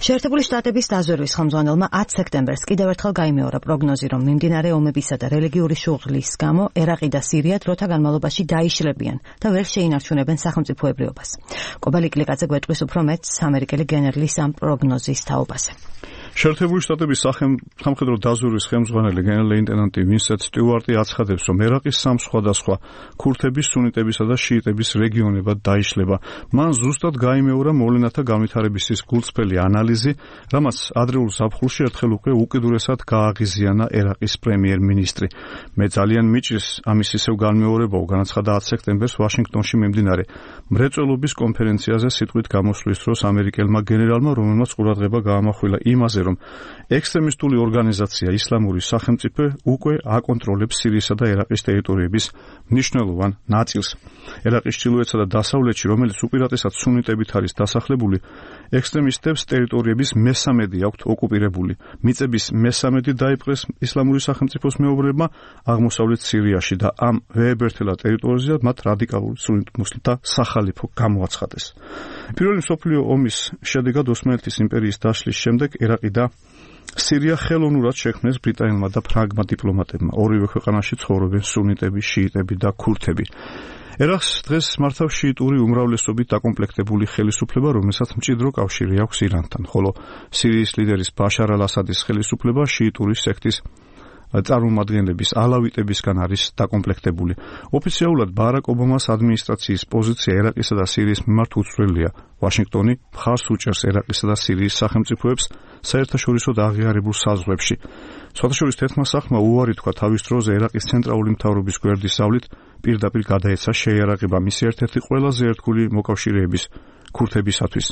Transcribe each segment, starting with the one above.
შეერთებული შტატების დაზვერვის ხელმძღვანელმა 10 სექტემბერს კიდევ ერთხელ გაიმეორა პროგნოზი, რომ მიმდინარე ომებისა და რელიგიური შუღლის გამო ერაყი და სირია დროთა განმავლობაში დაიშლებიან და ვერ შეინარჩუნებენ სახელმწიფოებრიობას. კობალი კლიკაძე გვეტყვის უფრო მეტს ამერიკელი გენერლის ამ პროგნოზის თაობაზე. შეერთებული შტატების სამხედრო დაზვერვის ხელმძღვანელი გენერალ-ლეიტენანტი ვინსენტ სტიუარტი აცხადებს, რომ ერაყის სამ სხვადასხვა ქურთების, სუნიტებისა და შიიტების რეგიონებად დაიშლება. მან ზუსტად გაიმეორა მოვლენათა განვითარების გულწრფელი ანალიზი, რამაც ადრეულ ზაფხულში ერთხელ უკვე უკიდურესად გააღიზიანა ერაყის პრემიერ-მინისტრი. მე ძალიან მიჭირს ამის ისევ განმეორებაო, განაცხადა 10 სექტემბერს ვაშინგტონში მიმდინარე მრეწველობის კონფერენციაზე სიტყვით გამოსვლის დროს ამერიკელმა გენერალმა, რომელმაც ყურადღება გაამახვილა იმაზე, რომ ექსტრემისტული ორგანიზაცია ისლამური სახელმწიფო უკვე აკონტროლებს სირიისა და ერაყის ტერიტორიების მნიშვნელოვან ნაწილს. ერაყის ჩრდილოეთსა და დასავლეთში, რომელიც უპირატესად სუნიტებით არის დასახლებული, ექსტრემისტებს ტერიტორიების მესამედი აქვთ ოკუპირებული. მიწების მესამედი დაიპყრეს ისლამური სახელმწიფოს მეუღლეებმა აღმოსავლეთ სირიაში და ამ ვეებერთელა ტერიტორიაზე მათ რადიკალური სუნიტ მუსლიმთა სახალიფო გამოაცხადეს. პირველი მსოფლიო ომის შედეგად ოსმალეთის იმპერიის დაშლის შემდეგ ერაყი და სირია ხელოვნურად შექმნეს ბრიტანელმა და ფრანგმა დიპლომატებმა. ორივე ქვეყანაში ცხოვრობენ სუნიტები, შიიტები და ქურთები. ერაყს დღეს მართავს შიიტური უმრავლესობით დაკომპლექტებული ხელისუფლება, რომელსაც მჭიდრო კავშირი აქვს ირანთან, ხოლო სირიის ლიდერის ბაშარ ალ-ასადის ხელისუფლება შიიტური სექტის წარმომადგენლების ალავიტებისგან არის დაკომპლექტებული. ოფიციალურად ბარაკ ობამას ადმინისტრაციის პოზიცია ერაყისა და სირიის მიმართ უცვლელია. ვაშინგტონი მხარს უჭერს ერაყისა და სირიის სახელმწიფოებს საერთაშორისო აღიარებულ საზღვრებში. სხვადასხვა თერთმა სახმა უარი თქვა თავის დროზე ერაყის ცენტრალური მთავრობის გვერდის ზავლით პირდაპირ გადაეცა შეიარაღება მისი ერთ-ერთი ყველაზე ერთგული მოკავშირეების ქურთებისათვის.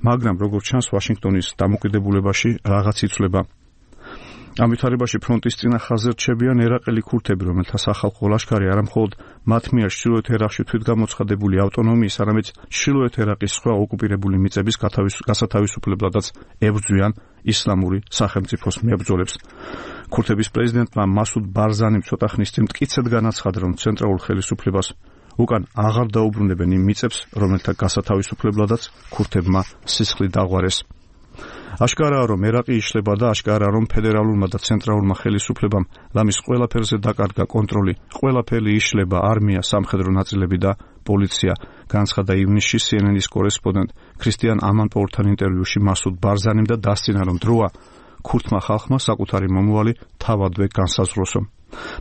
მაგრამ როგორც ჩანს, ვაშინგტონის დამოკიდებულებაში რაღაც იცვლება. ამ ვითარებაში ფრონტის წინა ხაზზე რჩებიან ერაყელი ქურთები, რომელთა სახალხო ლაშქარი არა მხოლოდ მათ მიერ ჩრდილოეთ ერაყში თვითგამოცხადებული ავტონომიის, არამედ ჩრდილოეთ ერაყის სხვა ოკუპირებული მიწების გასათავისუფლებადაც ებრძვიან ისლამური სახელმწიფოს მებრძოლებს. ქურთების პრეზიდენტმა მასუდ ბარზანიმ ცოტა ხნის წინ მტკიცედ განაცხადა, რომ ცენტრალურ ხელისუფლებას უკან აღარ დაუბრუნებენ იმ მიწებს, რომელთა გასათავისუფლებადაც ქურთებმა სისხლი დაღვარეს. აშკარაა, რომ ერაყი იშლება და აშკარაა, რომ ფედერალურმა და ცენტრალურმა ხელისუფლებამ ლამის ყველაფერზე დაკარგა კონტროლი. ყველაფერი იშლება, არმია, სამხედრო ნაწილები და პოლიცია, განაცხადა ივნისში CNN-ის კორესპონდენტ ქრისტიან ამანპოურთან ინტერვიუში მასუდ ბარზანიმ და დასცინა, რომ დროა ქურთმა ხალხმა საკუთარი მომავალი თავადვე განსაზღვროსო.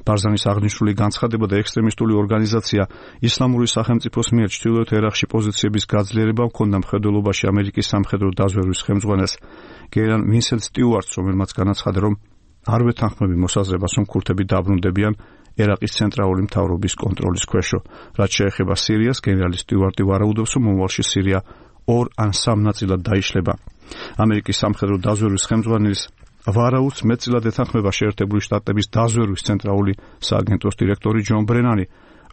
ბარზანის აღნიშნული განცხადება და ექსტრემისტული ორგანიზაცია ისლამური სახელმწიფოს მიერ ჩრდილოეთ ერაყში პოზიციების გაძლიერება ჰქონდა მხედველობაში ამერიკის სამხედრო დაზვერვის ხელმძღვანელს გენერალ ვინსენტ სტიუარტს, რომელმაც განაცხადა, რომ არ ვეთანხმები მოსაზრებას, რომ ქურთები დაბრუნდებიან ერაყის ცენტრალური მთავრობის კონტროლის ქვეშო. რაც შეეხება სირიას, გენერალი სტიუარტი ვარაუდობს, რომ მომავალში სირია 2 ან 3 ნაწილად დაიშლება. ამერიკის სამხედრო დაზვერვის ხელმძღვანელის ვარაუდს მეტწილად ეთანხმება შეერთებული შტატების დაზვერვის ცენტრალური სააგენტოს დირექტორი ჯონ ბრენანი,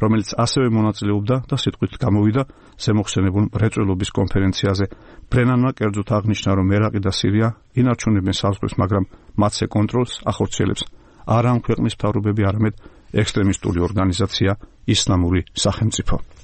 რომელიც ასევე მონაწილეობდა და სიტყვით გამოვიდა ზემოხსენებულ მრეწველობის კონფერენციაზე. ბრენანმა კერძოდ აღნიშნა, რომ ერაყი და სირია ინარჩუნებენ საზღვრებს, მაგრამ მათზე კონტროლს ახორციელებს არა ამ ქვეყნის მთავრობები, არამედ ექსტრემისტული ორგანიზაცია ისლამური სახელმწიფო.